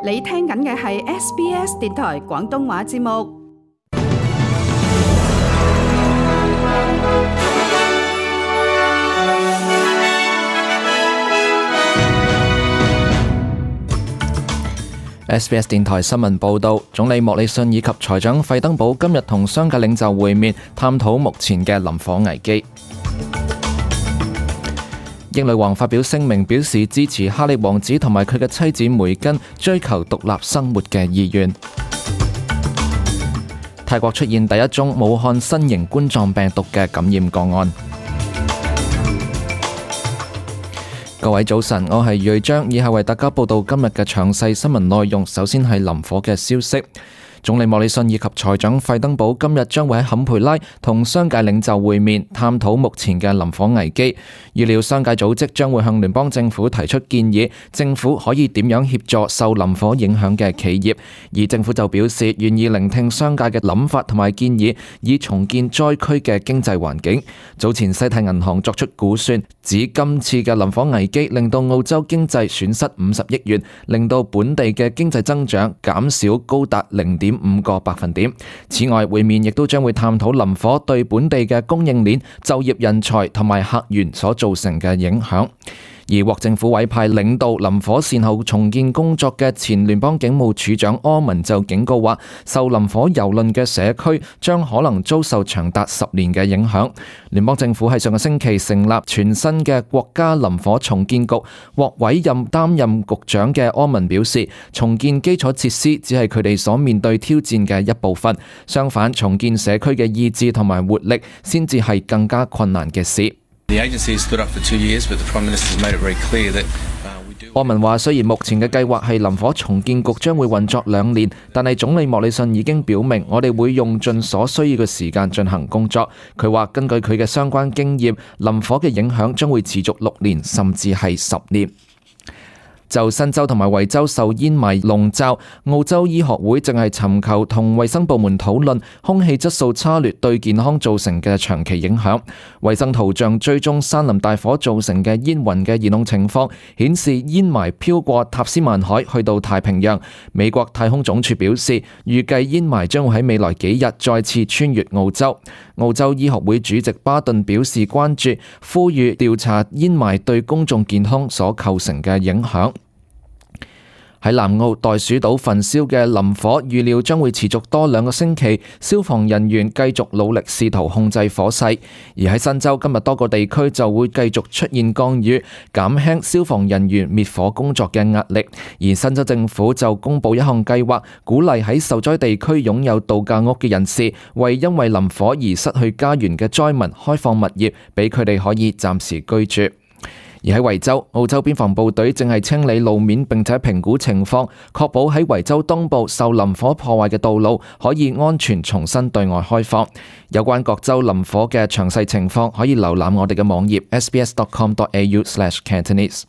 你聽緊嘅係 SBS 電台廣東話節目。SBS 電台新聞報導，總理莫里遜以及財長費登堡今日同商界領袖會面，探討目前嘅林火危機。英女王發表聲明，表示支持哈利王子同埋佢嘅妻子梅根追求獨立生活嘅意願。泰國出現第一宗武漢新型冠狀病毒嘅感染個案。各位早晨，我係瑞章，以下為大家報道今日嘅詳細新聞內容。首先係林火嘅消息。總理莫里遜以及財長費登堡今日將會喺坎培拉同商界領袖會面，探討目前嘅林火危機。預料商界組織將會向聯邦政府提出建議，政府可以點樣協助受林火影響嘅企業。而政府就表示願意聆聽商界嘅諗法同埋建議，以重建災區嘅經濟環境。早前西太銀行作出估算，指今次嘅林火危機令到澳洲經濟損失50億元，令到本地嘅經濟增長減少高達0.5個百分點。此外，會面亦都將會探討林火對本地嘅供應鏈、就業人才同埋客源所造成嘅影響。而獲政府委派領導林火善後重建工作嘅前聯邦警務處長柯文就警告話，受林火蹂躪嘅社區將可能遭受長達10年嘅影響。聯邦政府喺上個星期成立全新嘅國家林火重建局，獲委任擔任局長嘅柯文表示，重建基礎設施只係佢哋所面對挑戰嘅一部分，相反，重建社區嘅意志同埋活力先至係更加困難嘅事。柯文話，雖然目前嘅計劃係林火重建局將會運作2年，但係總理莫里遜已經表明，我哋會用盡所需要嘅時間進行工作。佢話根據佢嘅相關經驗，林火嘅影響將會持續6年，甚至係10年。就新州同埋維州受煙霾籠罩，澳洲醫學會正係尋求同衛生部門討論空氣質素差劣對健康造成嘅長期影響。衛生圖像追蹤山林大火造成嘅煙雲嘅移動情況，顯示煙霾飄過塔斯曼海去到太平洋。美國太空總署表示，預計煙霾將會喺未來幾日再次穿越澳洲。澳洲醫學會主席巴頓表示關注，呼籲調查煙霾對公眾健康所構成嘅影響。喺南澳袋鼠島焚燒嘅林火預料將會持續多2個星期，消防人員繼續努力試圖控制火勢。而喺新州，今日多個地區就會繼續出現降雨，減輕消防人員滅火工作嘅壓力。而新州政府就公布一項計劃，鼓勵喺受災地區擁有度假屋嘅人士，為因為林火而失去家園嘅災民開放物業，俾佢哋可以暫時居住。而喺維州，澳洲邊防部隊正係清理路面並且評估情況，確保喺維州東部受林火破壞嘅道路可以安全重新對外開放。有關各州林火嘅詳細情況，可以瀏覽我哋嘅網頁 sbs.com.au/Cantonese。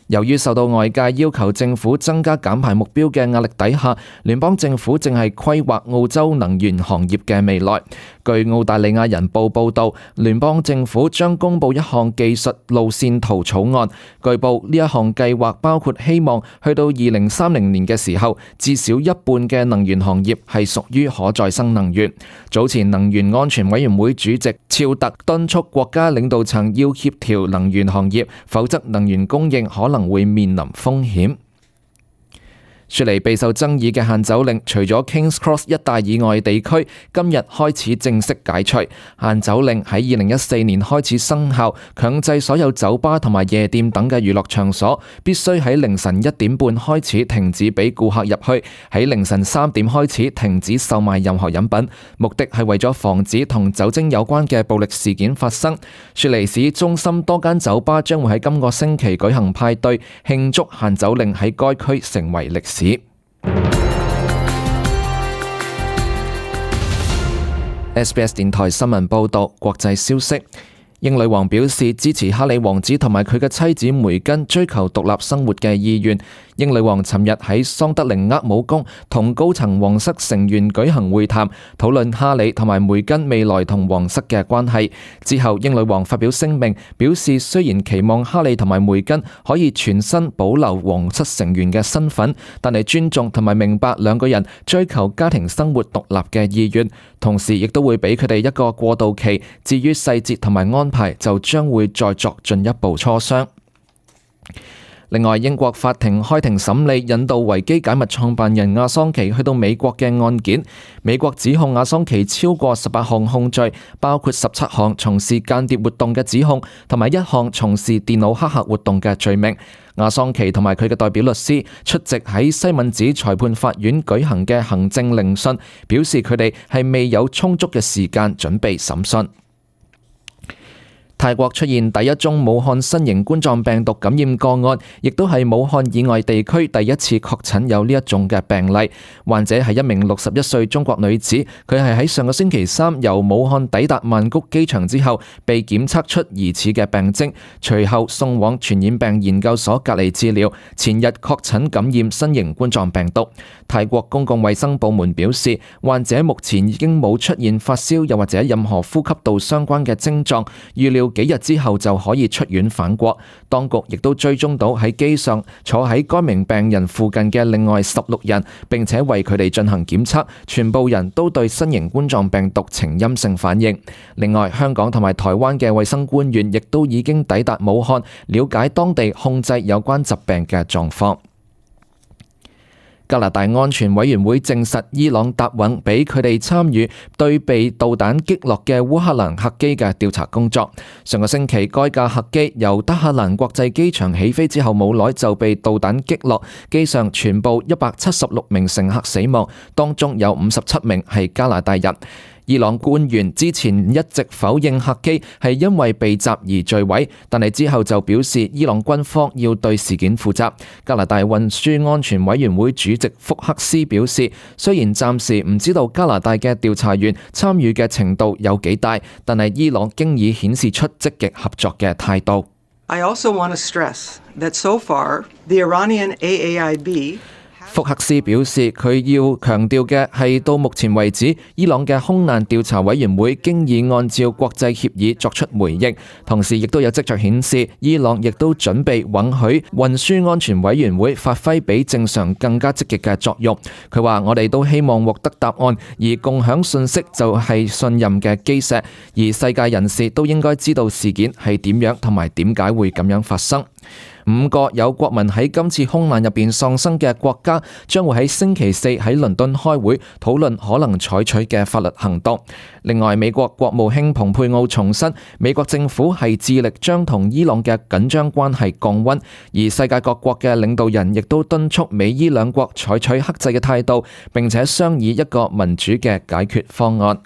由於受到外界要求政府增加減排目標嘅壓力底下，聯邦政府正係規劃澳洲能源行業嘅未來。據澳大利亞人報報導，聯邦政府將公布一項技術路線圖草案。據報呢一項計劃包括希望去到2030年嘅時候，至少一半嘅能源行業係屬於可再生能源。早前能源安全委員會主席肖特敦促國家領導層要協調能源行業，否則能源供應可能會面臨風險。雪梨備受爭議嘅限酒令，除咗 Kings Cross 一帶以外地區，今日開始正式解除。限酒令喺2014年開始生效，強制所有酒吧同埋夜店等嘅娛樂場所必須喺凌晨1點半開始停止俾顧客入去，喺凌晨3點開始停止售賣任何飲品，目的係為咗防止同酒精有關嘅暴力事件發生。雪梨市中心多間酒吧將會喺今個星期舉行派對，慶祝限酒令喺該區成為歷史。SBS 電台新聞報道，國際消息。英女王表示支持哈里王子同埋佢嘅妻子梅根追求獨立生活嘅意願。英女王尋日喺桑德靈厄姆宮同高層皇室成員舉行會談，討論哈里同埋梅根未來同皇室嘅關係。之後，英女王發表聲明，表示雖然期望哈里同埋梅根可以全身保留皇室成員嘅身份，但係尊重同埋明白兩個人追求家庭生活獨立嘅意願，同時亦都會俾佢哋一個過渡期。至於細節同埋安排，就將會再作進一步磋商。另外，英國法庭開庭審理引渡維基解密創辦人阿桑奇去到美國嘅案件。美國指控阿桑奇超過18項控罪，包括17項從事間諜活動嘅指控，同埋1項從事電腦黑客活動嘅罪名。阿桑奇同埋佢嘅代表律師出席喺西敏寺裁判法院舉行嘅行政聆訊，表示佢哋係未有充足嘅時間準備審訊。泰國出現第一宗武漢新型冠狀病毒感染個案，亦都係武漢以外地區第一次確診有呢一種嘅病例。患者係一名61歲中國女子，佢係喺上個星期三由武漢抵達曼谷機場之後，被檢測出疑似嘅病徵，隨後送往傳染病研究所隔離治療，前日確診感染新型冠狀病毒。泰國公共衛生部門表示，患者目前已經冇出現發燒又或者任何呼吸道相關嘅症狀，預料幾日之後就可以出院返國。當局亦都追蹤到喺機上坐喺該名病人附近嘅另外16人，並且為佢哋進行檢測，全部人都對新型冠狀病毒呈陰性反應。另外，香港同埋台灣嘅衛生官員亦都已經抵達武漢，了解當地控制有關疾病嘅狀況。加拿大安全委員會證實伊朗答允俾佢哋參與對被導彈擊落嘅烏克蘭客機嘅調查工作。上個星期，該架客機由德黑蘭國際機場起飛之後冇耐就被導彈擊落，機上全部176名乘客死亡，當中有57名係加拿大人。伊朗官員之前一直否認客機係因為被襲而墜毀，但係之後就表示伊朗軍方要對事件負責。加拿大運輸安全委員會主席福克斯表示，雖然暫時唔知道加拿大嘅調查員參與嘅程度有幾大，但係伊朗經已顯示出積極合作嘅態度。I also want to stress that so far the Iranian AAIB福克斯表示，佢要強調嘅係到目前為止，伊朗嘅空難調查委員會經已按照國際協議作出回應，同時亦都有跡象顯示，伊朗亦都準備允許運輸安全委員會發揮比正常更加積極嘅作用。佢話：我哋都希望獲得答案，而共享信息就係信任嘅基石，而世界人士都應該知道事件係點樣同埋點解會咁樣發生。5個有國民喺今次空難入邊喪生嘅國家將會喺星期4喺倫敦開會討論可能採取嘅法律行動。另外，美國國務卿蓬佩奧重申，美國政府係致力將同伊朗嘅緊張關係降溫，而世界各國嘅領導人亦都敦促美伊兩國採取克制嘅態度，並且商議一個民主嘅解決方案。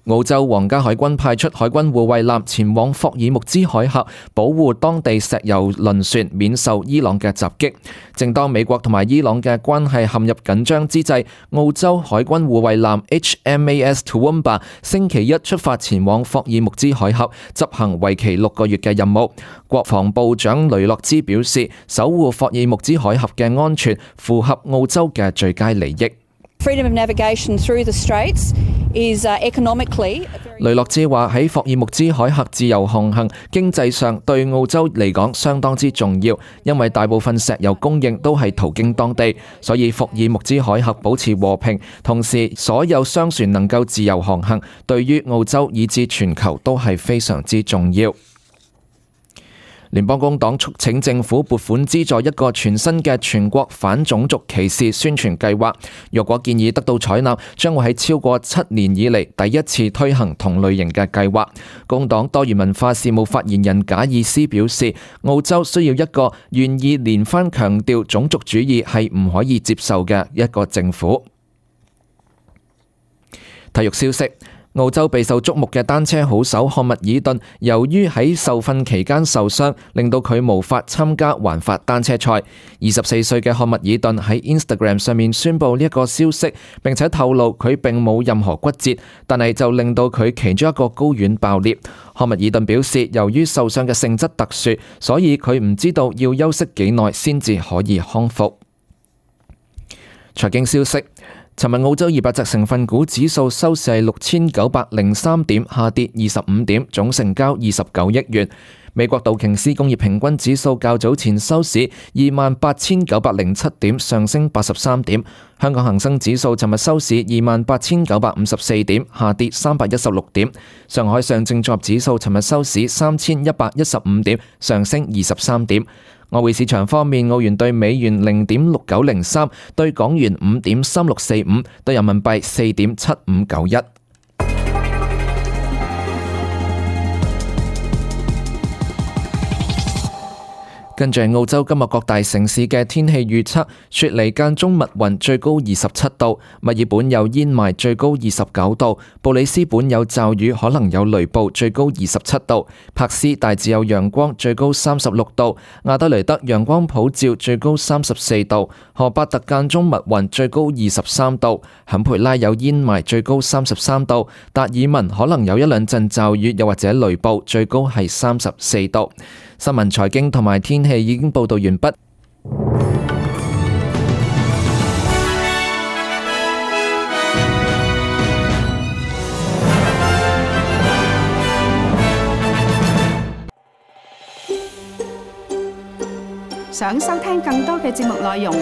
澳洲皇家海軍派出海軍護衛艦前往霍爾木茲海峽，保護當地石油輪船免受伊朗嘅襲擊。正當美國同埋伊朗嘅關係陷入緊張之際，澳洲海軍護衛艦 HMAS Toowoomba 星期一出發前往霍爾木茲海峽，執行為期6個月嘅任務。國防部長雷諾茲表示，守護霍爾木茲海峽嘅安全符合澳洲嘅最佳利益。Freedom of navigation through the straits is economically. 雷諾茲話喺霍爾木茲海峽自由航行，經濟上對澳洲嚟講相當之重要，因為大部分石油供應都係途經當地，所以霍爾木茲海峽保持和平，同時所有商船能夠自由航行，對於澳洲以至全球都係非常之重要。聯邦工黨促請政府撥款資助一個全新嘅全國反種族歧視宣傳計劃。若果建議得到採納，將會喺超過7年以嚟第一次推行同類型嘅計劃。工黨多元文化事務發言人賈爾斯表示，澳洲需要一個願意連番強調種族主義係唔可以接受嘅一個政府。體育消息。澳洲備受矚目嘅單車好手漢密爾頓，由於喺受訓期間受傷，令到佢無法參加環法單車賽。24歲嘅漢密爾頓喺 Instagram 上面宣布呢一個消息，並且透露佢並冇任何骨折，但係就令到佢其中一個睾丸爆裂。漢密爾頓表示，由於受傷嘅性質特殊，所以佢唔知道要休息幾耐先至可以康復。財經消息。尋日澳洲200隻成分股指數收市係6903點，下跌25點，總成交29億元。美國道瓊斯工業平均指數較早前收市28,907點，上升83點。香港恒生指數尋日收市28,954點，下跌316點。上海上證綜合指數尋日收市3115點，上升23點。外匯市場方面，澳元對美元0.6903，對港元5.3645，對人民幣4.7591。跟住澳洲今日各大城市嘅天氣預測：雪梨間中密雲，最高27度；墨爾本有煙霾，最高29度；布里斯本有驟雨，可能有雷暴，最高27度；柏斯大致有陽光，最高36度；亞德雷德陽光普照，最高34度；荷伯特間中密雲，最高23度；坎培拉有煙霾，最高33度；達爾文可能有一兩陣驟雨，又或者雷暴，最高係34度。新聞、財經同埋天氣已經報道完畢。想收聽更多嘅節目內容，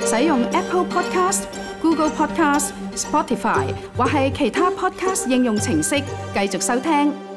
使用 Apple Podcast、Google Podcast、Spotify 或係其他 Podcast 應用程式繼續收聽。